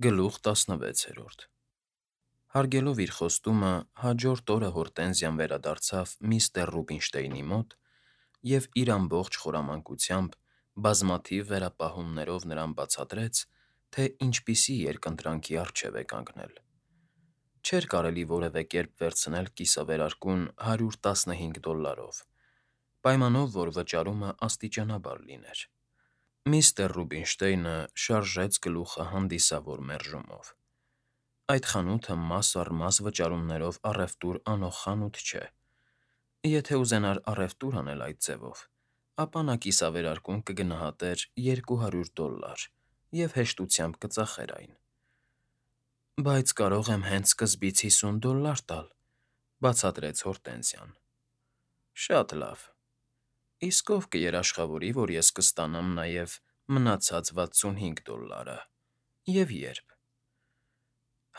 Գլուխ 16 Հարգելով իր խոստումը, հաջորդ օրը Հորտենզիան վերադարձավ միստր Ռուբինշտեյնի մոտ և իր ամբողջ խորամանկությամբ, բազմաթիվ վերապահումներով նրան բացատրեց, թե ինչպիսի երկընտրանքի առջև է կանգնել. Չէր կարելի որևէ կերպ վերցնել կիսավերարկուն $115, պայմանով, որ վճարումը աստիճանաբար լիներ։ Միստր Ռուբինշտեյնը շարժեց գլուխը հանդիսավոր մերժումով. Այդ խանութը մաս առ մաս վճարումներով առևտուր անող խանութ չէ։ Եթե ուզենար առևտուր անել այդ ձևով, ապա նա կիսավերարկուն կգնահատեր $200 և հեշտությամբ կծախեր այն։ Բայց կարող եմ հենց սկզբից $50 տալ, բացատրեց Հորտենզիան։ Շատ լավ, իսկ ով կերաշխավորի, որ ես կստանամ նաև մնացած $65 և ե՞րբ։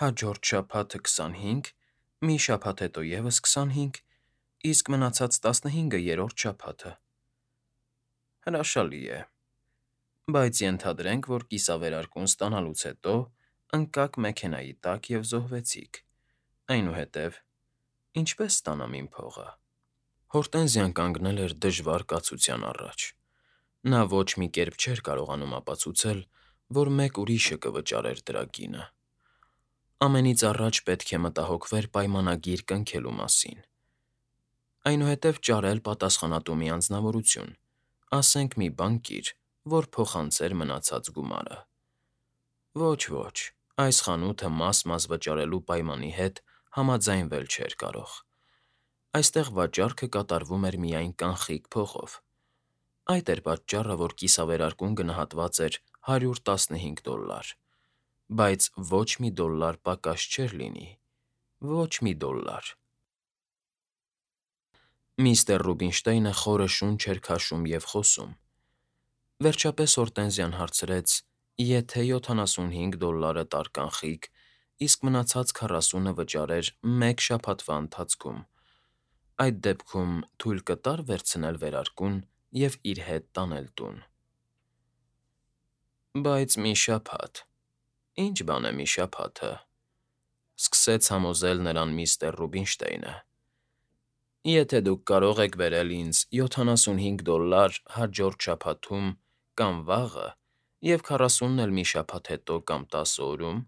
Հաջորդ շաբաթը 25, մի շաբաթ հետո ևս 25, իսկ մնացած 15-ը երրորդ շաբաթը։ Հրաշալի է, բայց ենթադրենք, որ կիսավերարկուն ստանալուց հետո ընկաք մեքենայի տակ և զոհվեցիք, այնուհետև ինչպե՞ս ստանամ իմ փողը։ Հորտենզիան կանգնել էր դժվար կացության առաջ։ Նա ոչ մի կերպ չէր կարողանում ապացուցել, որ մեկ ուրիշը կվճարեր դրա գինը։ Ամենից առաջ պետք է մտահոգվեր պայմանագիր կնքելու մասին, այնուհետև ճարել պատասխանատու մի անձնավորություն, ասենք մի բանկիր, որ փոխանցեր մնացած գումարը։ Ոչ, այս խանութը մաս վճարելու պայմանի հետ համաձայնվել չէր կարող։ Այստեղ վաճառքը կատարվում էր միայն կանխիկ փողով։ Այդ էր պատճառը, որ կիսավերարկուն գնահատված էր $115, բայց ոչ մի դոլար պակաս չէր լինի, ոչ մի դոլար։ Միստր Ռուբինշտեյնը խորը շունչ էր քաշում և խոսում։ Վերջապես Հորտենզիան հարցրեց. Եթե $75 տար կանխիկ, իսկ մնացած 40-ը վճարեր մեկ շաբաթվա ընթացքում, այդ դեպքում թույլ կտա՞ր վերցնել վերարկուն և իր հետ տանել տուն։ Բայց մի շաբաթ… Ի՞նչ բան է մի շաբաթը,֊ սկսեց համոզել նրան միստր Ռուբինշտեյնը։ Եթե դուք կարող եք բերել ինձ $75 հաջորդ շաբաթում կամ վաղը և 40-ն էլ մի շաբաթ հետո կամ 10 օրում,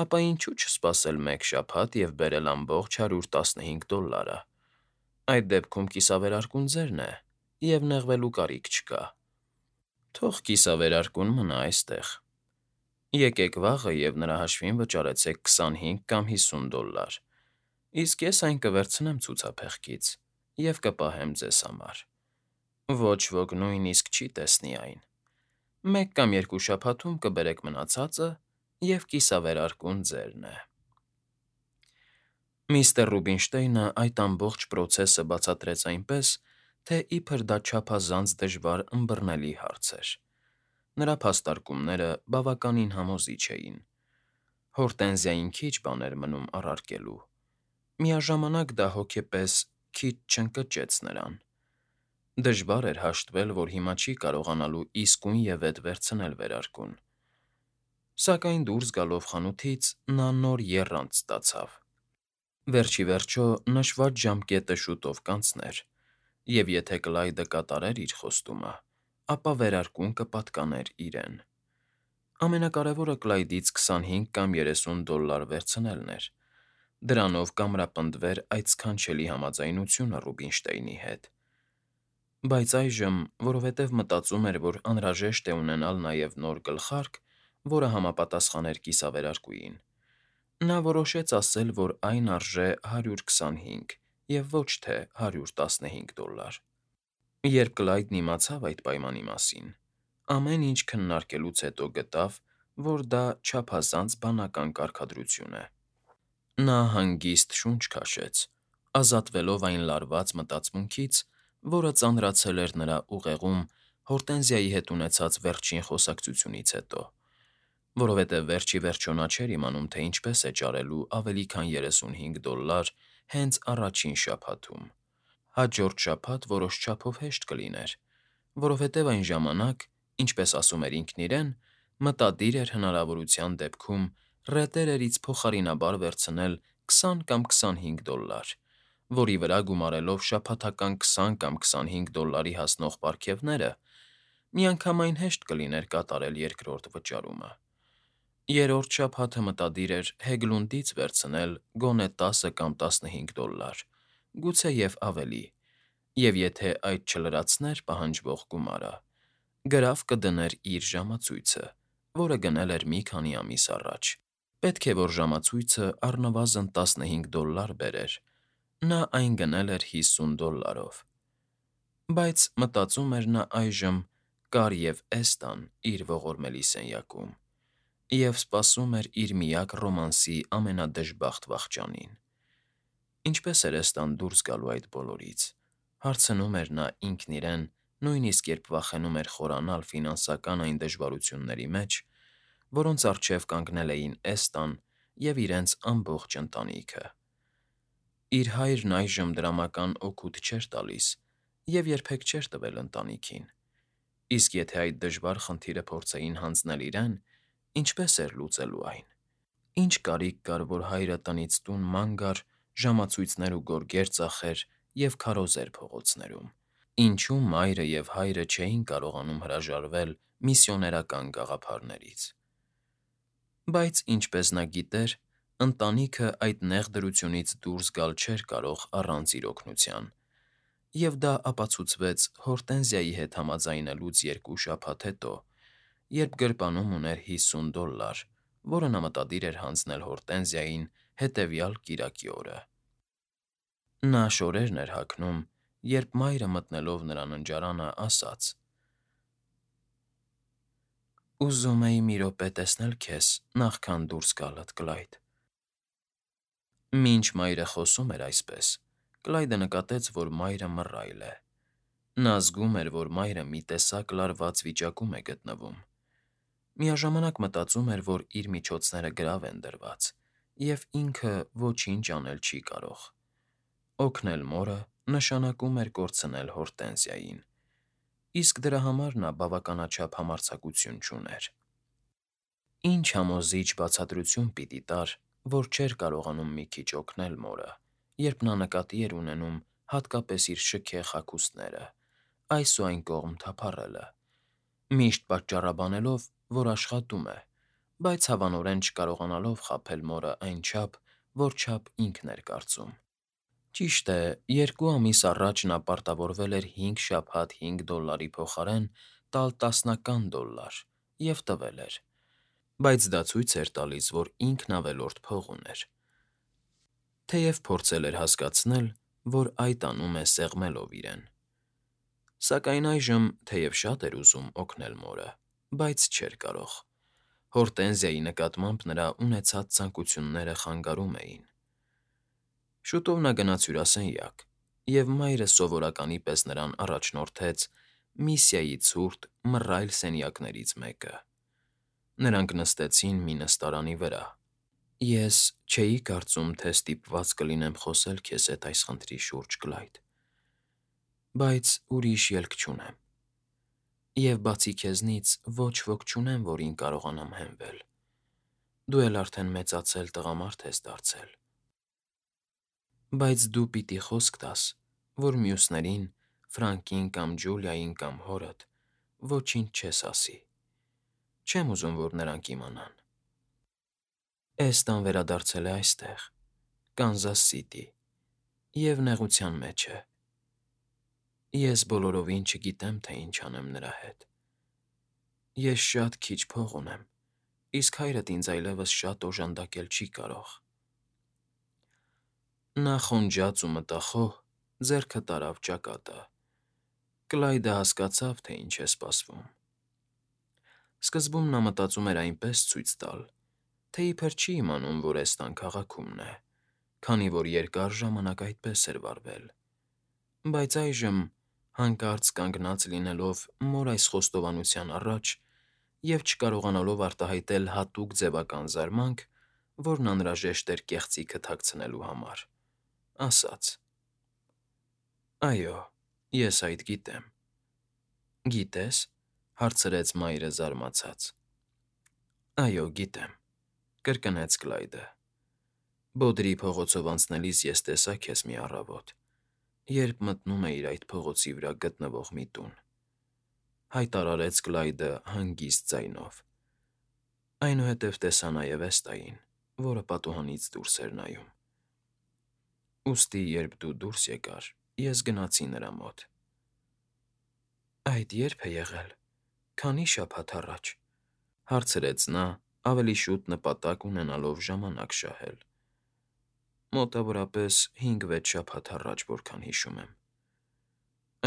ապա ինչո՞ւ չսպասել մեկ շաբաթ և բերել ամբողջ $115։ Այդ դեպքում կիսավերարկուն ձերն է, և նեղվելու կարիք չկա։ Թող կիսավերարկուն մնա այստեղ։ Եկեք վաղը և նրա հաշվին վճարեցեք 25 կամ $50, իսկ ես այն կվերցնեմ ցուցափեղկից և կպահեմ ձեզ համար։ Ոչ ոք նույնիսկ չի տեսնի այն։ Մեկ կամ երկու շաբաթում կբերեք մնացածը, և կիսավերարկուն ձերն է։ Միստր Ռուբինշտեյնը այդ ամբողջ պրոցեսը բացատրեց այնպես, թե իբր դա չափազանց դժվար ըմբռնելի հարց էր։ Նրա փաստարկումները բավականին համոզիչ էին։ Հորտենզիային քիչ բան էր մնում առարկելու։ Միաժամանակ դա հոգեպես քիչ չընկճեց նրան։ Դժվար էր հաշտվել, որ հիմա չի կարողանալու իսկույնևեթ վերցնել վերարկուն։ Սակայն դուրս գալով խանութից նա նոր եռանդ ստացավ։ Վերջ ի վերջո նշված ժամկետը շուտով կանցներ, և եթե Կլայդը կատարեր իր խոստումը, ապա վերարկուն կպատկաներ իրեն։ Ամենակարևորը Կլայդից 25 կամ $30 վերցնելն էր։ Դրանով կամրապնդվեր այդ սքանչելի համաձայնությունը Ռուբինշտեյնի հետ։ Բայց այժմ, որովհետև մտածում էր, որ անհրաժեշտ է ունենալ նաև նոր գլխարկ, որը համապատասխաներ կիսավերարկուին, նա որոշեց ասել, որ այն արժե 125 և ոչ թե $115։ Երբ Կլայդն իմացավ այդ պայմանի մասին, ամեն ինչ քննարկելուց հետո գտավ, որ դա չափազանց բանական կարգադրություն է։ Նա հանգիստ շունչ քաշեց, ազատվելով այն լարված մտածմունքից, որը ծանրացել էր նրա ուղեղում Հորտենզիայի հետ ունեցած վերջին խոսակցությունից հետո, որովհետև վերջ ի վերջո նա չէր իմանում, թե ինչպես է ճարելու ավելի քան $35 հենց առաջին շաբաթում։ Հաջորդ շաբաթ որոշ չափով հեշտ կլիներ, որովհետև այն ժամանակ, ինչպես ասում էր ինքն իրեն, Մտադիր էր հնարավորության դեպքում ռետերերից փոխարինաբար վերցնել 20 կամ $25, որի վրա գումարելով շաբաթական 20 կամ $25 հասնող պարգևները, միանգամայն հեշտ կլիներ կատարել երկրորդ վճարումը։ Երրորդ շաբաթը մտադիր էր Հեգլունդից վերցնել գոնե 10 կամ $15, գուցեև ավելի, և եթե այդ չլրացներ պահանջվող գումարը, գրավ կդներ իր ժամացույցը, որը գնել էր մի քանի ամիս առաջ։ Պետք է, որ ժամացույցը առնվազն $15 բերեր, նա այն գնել էր $50-ով։ Բայց մտածում էր նա այժմ, կար և Էստան իր ողորմելի սենյակում, և սպասում էր իր միակ ռոմանսի ամենադժբախտ վախճանին։ Ինչպե՞ս էր Էստան դուրս գալու այդ բոլորից, հարցնում էր նա ինքն իրեն, նույնիսկ երբ վախենում էր խորանալ ֆինանսական այն դժվարությունների մեջ, որոնց առջև կանգնել էին Էստան և իրենց ամբողջ ընտանիքը։ Իր հայրն այժմ դրամական օգուտ չէր տալիս և երբեք չէր տվել ընտանիքին, իսկ եթե այդ դժվար խնդիրը փորձեին հանձնել իրեն, ինչպե՞ս էր լուծելու այն։ Ինչ կարիք կար, որ հայրը տնից տուն ման գար, ժամացույցներ ու գորգեր ծախեր և քարոզեր փողոցներում։ Ինչու մայրը և հայրը չէին կարողանում հրաժարվել միսիոներական գաղափարներից։ Բայց, ինչպես նա գիտեր, ընտանիքը այդ նեղ դրությունից դուրս գալ չէր կարող առանց իր օգնության, և դա ապացուցվեց Հորտենզիայի հետ համաձայնելուց 2 շաբաթ հետո, երբ գրպանում ուներ $50, որը նա մտադիր էր հանձնել Հորտենզիային հետևյալ կիրակի օրը։ Նա շորերն էր հագնում, երբ մայրը մտնելով նրա ննջարանը ասաց. «Ուզում էի մի րոպե տեսնել քեզ, նախքան դուրս գալդ, Կլայդ»։ Մինչ մայրը խոսում էր այսպես, Կլայդը նկատեց, որ մայրը մռայլ է։ Նա զգում էր, որ մայրը մի տեսակ լարված վիճակում է գտնվում։ Միաժամանակ մտածում էր, որ իր միջոցները գրավ են դրված, և ինքը ոչինչ անել չի կարող։ Օգնել մորը նշանակում էր կորցնել Հորտենզիային, իսկ դրա համար նա բավականաչափ համարձակություն չուներ։ Ինչ համոզիչ բացատրություն պիտի տար, որ չէր կարողանում մի քիչ օգնել մորը, երբ նա նկատի էր ունենում հատկապես իր շքեղ հագուստները, այս ու այն կողմ թափառելը, միշտ պատճառաբանելով, որ աշխատում է, բայց հավանորեն չկարողանալով խաբել մորը այնչափ, որչափ ինքն էր կարծում։ Ճիշտ է, 2 ամիս առաջ նա պարտավորվել էր 5 շաբաթ $5 փոխարեն տալ տասնական $, և տվել էր, բայց դա ցույց էր տալիս, որ ինքն ավելորդ փող ուներ, թեև փորձել էր հասկացնել, որ այդ անում է սեղմելով իրեն։ Սակայն այժմ, թեև շատ էր ուզում օգնել մորը, բայց չէր կարող։ Հորտենզիայի նկատմամբ նրա ունեցած ցանկությունները խանգարում էին։ Շուտով նա գնաց հյուրասենյակ, և մայրը սովորականի պես նրան առաջնորդեց Միսիայի ցուրտ, մռայլ սենյակներից մեկը։ Նրանք նստեցին մի նստարանի վրա։ «Ես չէի կարծում, թե ստիպված կլինեմ խոսել քեզ հետ այս խնդրի շուրջ, Կլայդ, բայց ուրիշ ելք չունեմ, և բացի քեզնից ոչ ոք չունեմ, որին կարողանամ հենվել։ Դու էլ արդեն մեծացել տղամարդ ես դարձել։ Բայց դու պիտի խոսք տաս, որ մյուսներին, Ֆրանկին կամ Ջուլիային կամ հորդ, ոչինչ չես ասի։ Չեմ ուզում, որ նրանք իմանան։ Էստան վերադարձել է այստեղ, Կանզաս Սիթի, և նեղության մեջ է։ Ես բոլորովին չգիտեմ, թե ինչ անեմ նրա հետ։ Ես շատ քիչ փող ունեմ, իսկ հայրդ ինձ այլևս շատ օժանդակել չի կարող»։ Նա խոնջաց ու մտախոհ ձեռքը տարավ ճակատը։ Կլայդը հասկացավ, թե ինչ է սպասվում։ Սկզբում նա մտածում էր այնպես ցույց տալ, թե իբր չի իմանում, որ Էստան քաղաքումն է, քանի որ երկար ժամանակ այդպես էր վարվել։ Բայց այժմ, հանկարծ կանգնած լինելով մոր այս խոստովանության առաջ և չկարողանալով արտահայտել հատուկ ձևական զարմանք, որն անհրաժեշտ էր կեղծիքը թաքցնելու համար, ասաց. «Այո, ես այդ գիտեմ»։ «Գիտե՞ս»։ Հարցրեց մայրը զարմացած։ Այո, գիտեմ,֊ կրկնեց Կլայդը։ Բոդրի փողոցով անցնելիս ես տեսա քեզ մի առավոտ, երբ մտնում էիր այդ փողոցի վրա գտնվող մի տուն,֊ հայտարարեց Կլայդը հանգիստ ձայնով։ Այնուհետև տեսա նաև Էստային, որը պատուհանից դուրս էր նայում։ Ուստի, երբ դու դուրս եկար, ես գնացի նրա մոտ։ Այդ ե՞րբ է եղել, քանի՞ շաբաթ առաջ,֊ հարցրեց նա, ավելի շուտ նպատակ ունենալով ժամանակ շահել։ Մոտավորապես 5-6 շաբաթ առաջ, որքան հիշում եմ։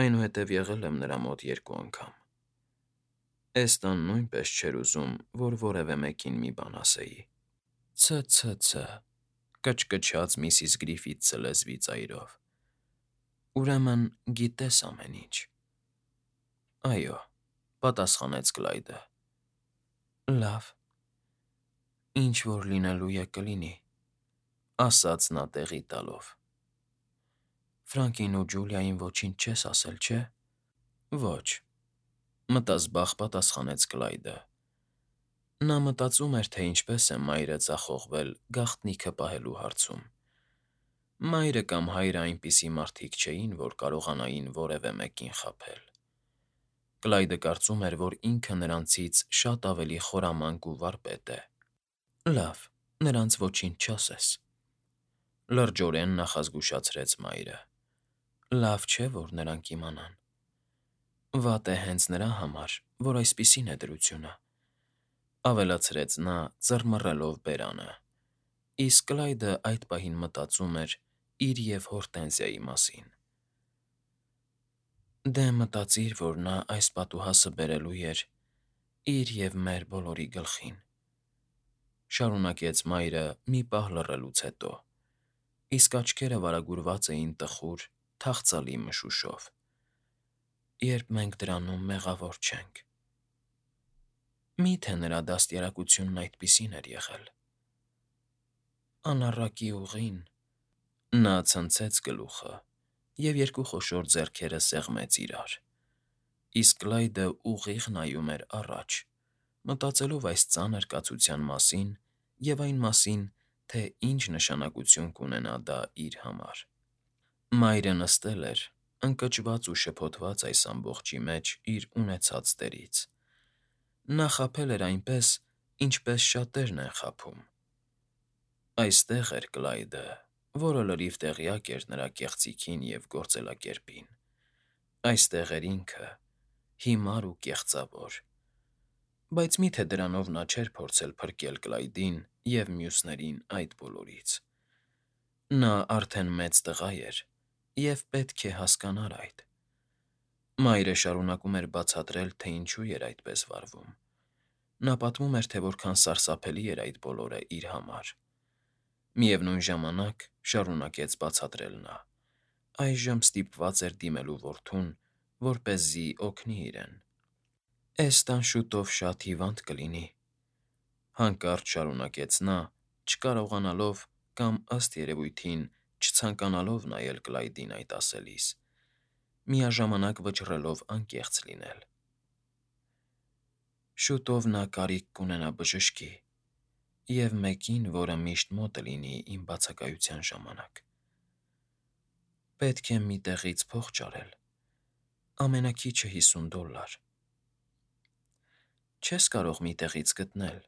Այնուհետև եղել եմ նրա մոտ 2 անգամ։ Էստան նույնպես չէր ուզում, որ որևէ մեկին մի բան ասեի։ Ց֊ց֊ց, կչկչաց միսիս Գրիֆիթսը լեզվի ծայրով։ Ուրեմն գիտես ամեն ինչ։ Այո,֊ պատասխանեց Կլայդը։ Լավ, ինչ որ լինելու է կլինի,֊ ասաց նա տեղի տալով։ Ֆրանկին ու Ջուլիային ոչինչ չես ասել, չէ՞։ Ոչ,֊ մտազբաղ պատասխանեց Կլայդը։ Նա մտածում էր, թե ինչպես է մայրը ձախողվել գաղտնիքը պահելու հարցում։ Մայրը կամ հայրը այնպիսի մարդիկ չէին, որ կարողանային որևէ մեկին խաբել։ Կլայդը կարծում էր, որ ինքը նրանցից շատ ավելի խորամանկ ու վարպետ է։ Լավ, նրանց ոչինչ չասես,֊ լրջորեն նախազգուշացրեց մայրը։ Լավ չէ, որ նրանք իմանան։ Վատ է հենց նրա համար, որ այսպիսին է դրությունը,֊ ավելացրեց նա, ծռմռելով բերանը։ Իսկ Կլայդը այդ պահին մտածում էր իր և Հորտենզիայի մասին։ Դե մտածիր, որ նա այս պատուհասը բերելու էր իր և մեր բոլորի գլխին,֊ շարունակեց մայրը մի պահ լռելուց հետո, իսկ աչքերը վարագուրված էին տխուր, թախծալի մշուշով։ Երբ մենք դրանում մեղավոր չենք։ Մի՞թե նրա դաստիարակությունն այդպիսին էր եղել։ Անառակի ուղին,֊ նա ցնցեց գլուխը և 2 խոշոր ձեռքերը սեղմեց իրար, իսկ Կլայդը ուղիղ նայում էր առաջ, մտածելով այս ծանր կացության մասին և այն մասին, թե ինչ նշանակություն կունենա դա իր համար։ Մայրը նստել էր, ընկճված ու շփոթված այս ամբողջի մեջ իր ունեցած դերից։ Նա խաբել էր այնպես, ինչպես շատերն են խաբում։ Այստեղ էր Կլայդը, որը լրիվ տեղյակ էր նրա կեղծիքին և գործելակերպին։ Այստեղ էր ինքը, հիմար ու կեղծավոր։ Բայց մի՞թե դրանով նա չէր փորձել փրկել Կլայդին և մյուսներին այդ բոլորից։ Նա արդեն մեծ տղա էր և պետք է հասկանար այդ։ Մայրը շարունակում էր բացատրել, թե ինչու էր այդպես վարվում։ Նա պատմում էր, թե որքան սարսափելի էր այդ բոլորը իր համար։ Միևնույն ժամանակ, շարունակեց բացատրել նա, այժմ ստիպված էր դիմելու որդուն, որպեսզի օգնի իրեն։ Էստան շուտով շատ հիվանդ կլինի,֊ հանկարծ շարունակեց նա, չկարողանալով կամ, ըստ երևույթին, չցանկանալով նայել Կլայդին այդ ասելիս, միաժամանակ վճռելով անկեղծ լինել։ Շուտով նա կարիք կունենա բժշկի և մեկին, որը միշտ մոտը լինի իմ բացակայության ժամանակ։ Պետք է մի տեղից փող ճարել, ամենաքիչը $50։ Չես կարող մի տեղից գտնել։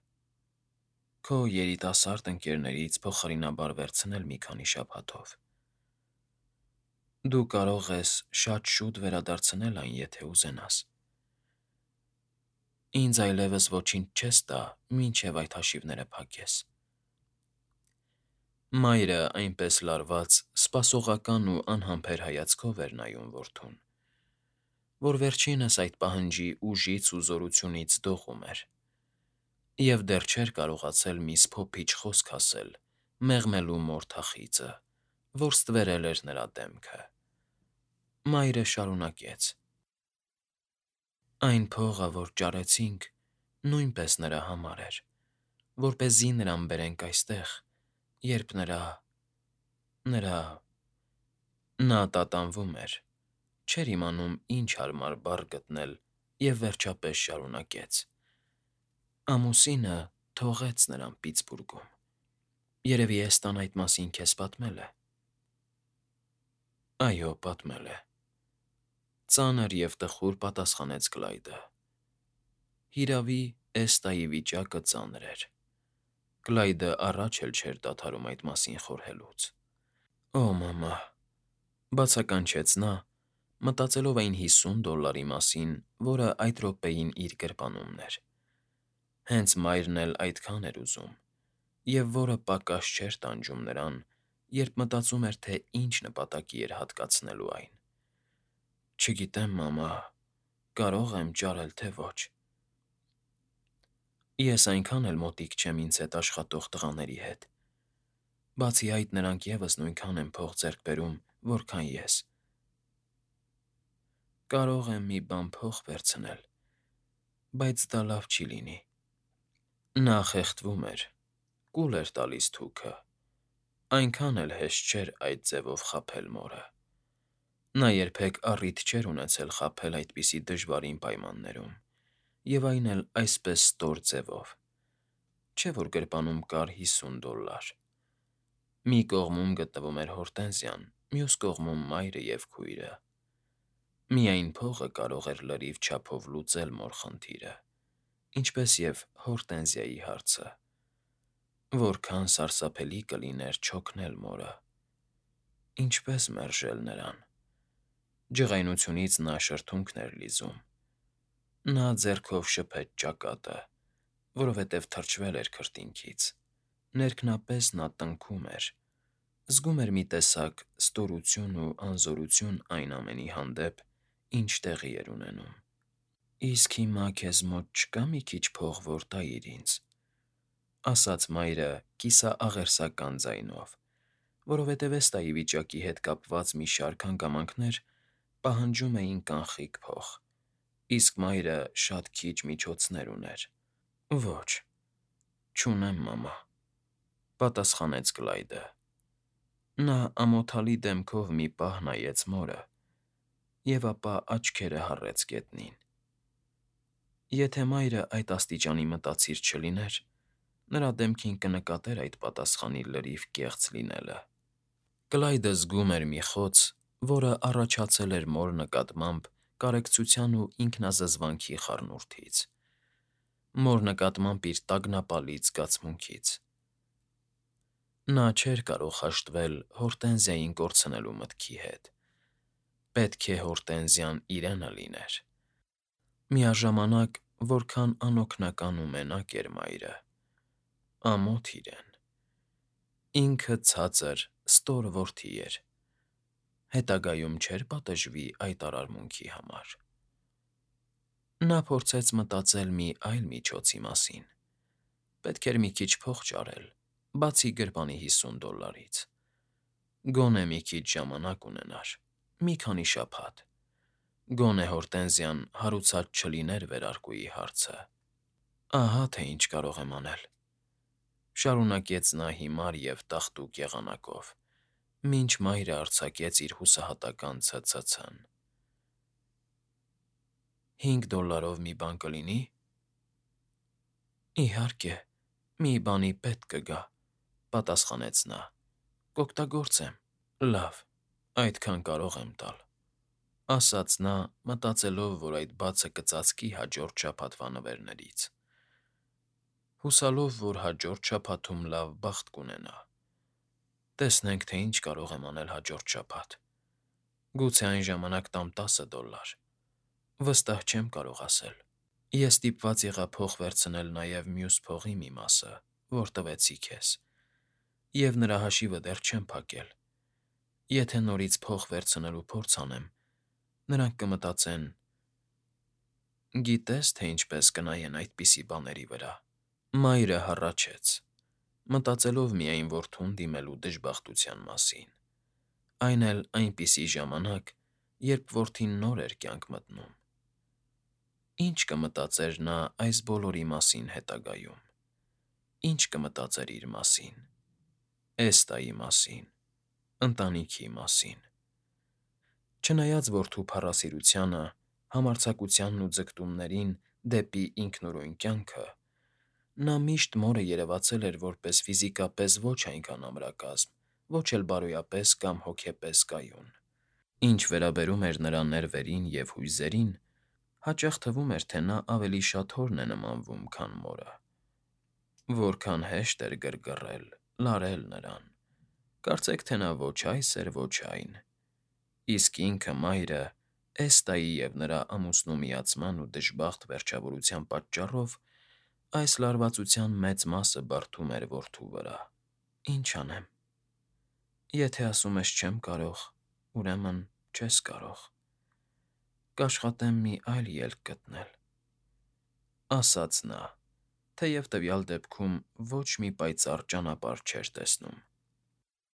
Քո երիտասարդ ընկերներից փոխարինաբար վերցնել մի քանի շաբաթով։ Դու կարող ես շատ շուտ վերադարձնել այն, եթե ուզենաս։ Ինձ այլևս ոչինչ չես տա, մինչև այդ հաշիվները փակես։ Մայրը այնպես լարված, սպասողական ու անհամբեր հայացքով էր նայում որդուն, որ վերջինս այդ պահանջի ուժից ու զորությունից դողում էր, և դեռ չէր կարողացել մի սփոփիչ խոսք ասել, մեղմելու մորթախիծը, որ ստվերել էր նրա դեմքը։ Մայրը շարունակեց. Այն փողը, որ ճարեցինք, նույնպես նրա համար էր, որպեսզի նրան բերենք այստեղ, երբ նրա… Նա տատանվում էր, չէր իմանում ինչ հարմար բառ գտնել և վերջապես շարունակեց. Ամուսինը թողեց նրան Պիտսբուրգում։ Երևի Էստան այդ մասին քեզ պատմել է։ Այո, պատմել է։ Ծանր և տխուր պատասխանեց Կլայդը։ Հիրավի, Էստայի վիճակը ծանր էր։ Կլայդը առաջ էլ չէր դադարում այդ մասին խորհելուց։ Օ, մամա, բացականչեց նա, մտածելով այն $50 մասին, որը այդ րոպեին իր գրպանումն էր։ Հենց մայրն էլ այդքան էր ուզում, և որը պակաս չէր տանջում նրան, երբ մտածում էր, թե ինչ նպատակի էր հատկացնելու այն։ Չգիտեմ, մամա, կարող եմ ճարել, թե ոչ։ Ես այնքան էլ մոտիկ չեմ ինձ հետ աշխատող տղաների հետ։ Բացի այդ, նրանք ևս նույնքան են փող ձեռք բերում, որքան ես։ Կարող եմ մի բան փող վերցնել, բայց դա լավ չի լինի։ Նա խեղդվում էր, կուլ էր տալիս թուքը, այնքան էլ հեշտ չէր այդ ձևով խաբել մորը։ Նա երբեք առիթ չէր ունեցել խաբել այդպիսի դժվարին պայմաններում, և այն էլ այսպես ստոր ձևով։ Չէ՞ որ գրպանում կար $50։ Մի կողմում գտնվում էր Հորտենզիան, մյուս կողմում մայրը և քույրը։ Միայն փողը կարող էր լրիվ չափով լուծել մոր խնդիրը, ինչպես և Հորտենզիայի հարցը։ Որքան սարսափելի կլիներ չօգնել մորը։ Ինչպես մերժել նրան։ Ջղայնությունից նա շրթունքն էր լիզում։ Նա ձեռքով շփեց ճակատը, որովհետև թրջվել էր քրտինքից։ Ներքնապես նա տնքում էր, զգում էր մի տեսակ ստորություն ու անզորություն այն ամենի հանդեպ, ինչ տեղի էր ունենում։ Իսկ հիմա քեզ մոտ չկա՞ մի քիչ փող, որ տայիր ինձ, ասաց մայրը կիսաաղերսական ձայնով, որովհետև Էստայի վիճակի հետ կապված մի շարք հանգամանքներ պահանջում էին կանխիկ փող, իսկ մայրը շատ քիչ միջոցներ ուներ։ Ոչ, չունեմ, մամա, պատասխանեց Կլայդը։ Նա ամոթալի դեմքով մի պահ նայեց մորը և ապա աչքերը հառեց գետնին։ Եթե մայրը այդ աստիճանի մտածիր չլիներ, նրա դեմքին կնկատեր այդ պատասխանի լրիվ կեղծ լինելը։ Կլայդը զգում էր մի խոց, որը առաջացել էր մոր նկատմամբ կարեկցության ու ինքնազզվանքի խառնուրդից, մոր նկատմամբ իր տագնապալից զգացմունքից։ Նա չէր կարող հաշտվել Հորտենզիային կորցնելու մտքի հետ։ Պետք է Հորտենզիան իրենը լիներ։ Միաժամանակ, որքան անօգնական ու մենակ էր մայրը։ Ամոթ իրեն։ Ինքը ցածր, ստոր որդի էր։ Հետագայում չէր պատժվի այդ արարմունքի համար։ Նա փորձեց մտածել մի այլ միջոցի մասին։ Պետք էր մի քիչ փող ճարել, բացի գրպանի $50-ից։ Գոնե մի քիչ ժամանակ ունենար, մի քանի շաբաթ։ Գոնե Հորտենզիան հարուցած չլիներ վերարկուի հարցը։ Ահա թե ինչ կարող եմ անել, շարունակեց նա հիմար և տաղտուկ եղանակով, մինչ մայրը արձակեց իր հուսահատական ցցցն։ $5 մի բան կլինի՞։ Իհարկե, մի բանի պետք կգա, պատասխանեց նա։ Կօգտագործեմ։ Լավ, այդքան կարող եմ տալ, ասաց նա, մտածելով, որ այդ բացը կծածկի հաջորդ շաբաթվա նվերներից։ Հուսալով, որ հաջորդ շաբաթում լավ բախտ կունենա։ Տեսնենք, թե ինչ կարող եմ անել հաջորդ շաբաթ։ Գուցե այն ժամանակ տամ $10։ Վստահ չեմ կարող ասել։ Ես ստիպված եղա փող վերցնել նաև մյուս փողի մի մասը, որ տվեցի քեզ, և նրա հաշիվը դեռ չեմ փակել։ Եթե նորից փող վերցնելու փորձ անեմ, նրանք կմտածեն. գիտե՞ս, թե ինչպես կնայեն այդպիսի բաների վրա։ Մայրը հառաչեց, մտածելով միայն որդուն դիմելու դժբախտության մասին, այն էլ այնպիսի ժամանակ, երբ որդին նոր էր կյանք մտնում։ Ինչ կմտածեր նա այս բոլորի մասին հետագայում։ Ինչ կմտածեր իր մասին, Էստայի մասին, ընտանիքի մասին։ Չնայած որդու փառասիրությանը, համարձակությանն ու ձգտումներին դեպի ինքնուրույն կյանքը, Նա միշտ մորը երևացել էր որպես ֆիզիկապես ոչ այնքան ամրակազմ, ոչ էլ բարոյապես կամ հոգեպես կայուն։ Ինչ վերաբերում էր նրա ներվերին և հույզերին, հաճախ թվում էր, թե նա ավելի շատ հորն է նմանվում, քան մորը։ Որքան հեշտ էր գրգռել, լարել նրան։ Կարծեք, թե նա ոչ այս էր, ոչ այն։ Իսկ ինքը մայրը Էստայի և նրա ամուսնու միացման ու դժբախտ վերջավորության պատճառով այս լարվածության մեծ մասը բարդում էր որդու վրա։ Ինչ անեմ։ Եթե ասում ես չեմ կարող, ուրեմն չես կարող։ Կաշխատեմ մի այլ ելք գտնել,֊ ասաց նա, թեև տվյալ դեպքում ոչ մի պայծառ ճանապարհ չէր տեսնում։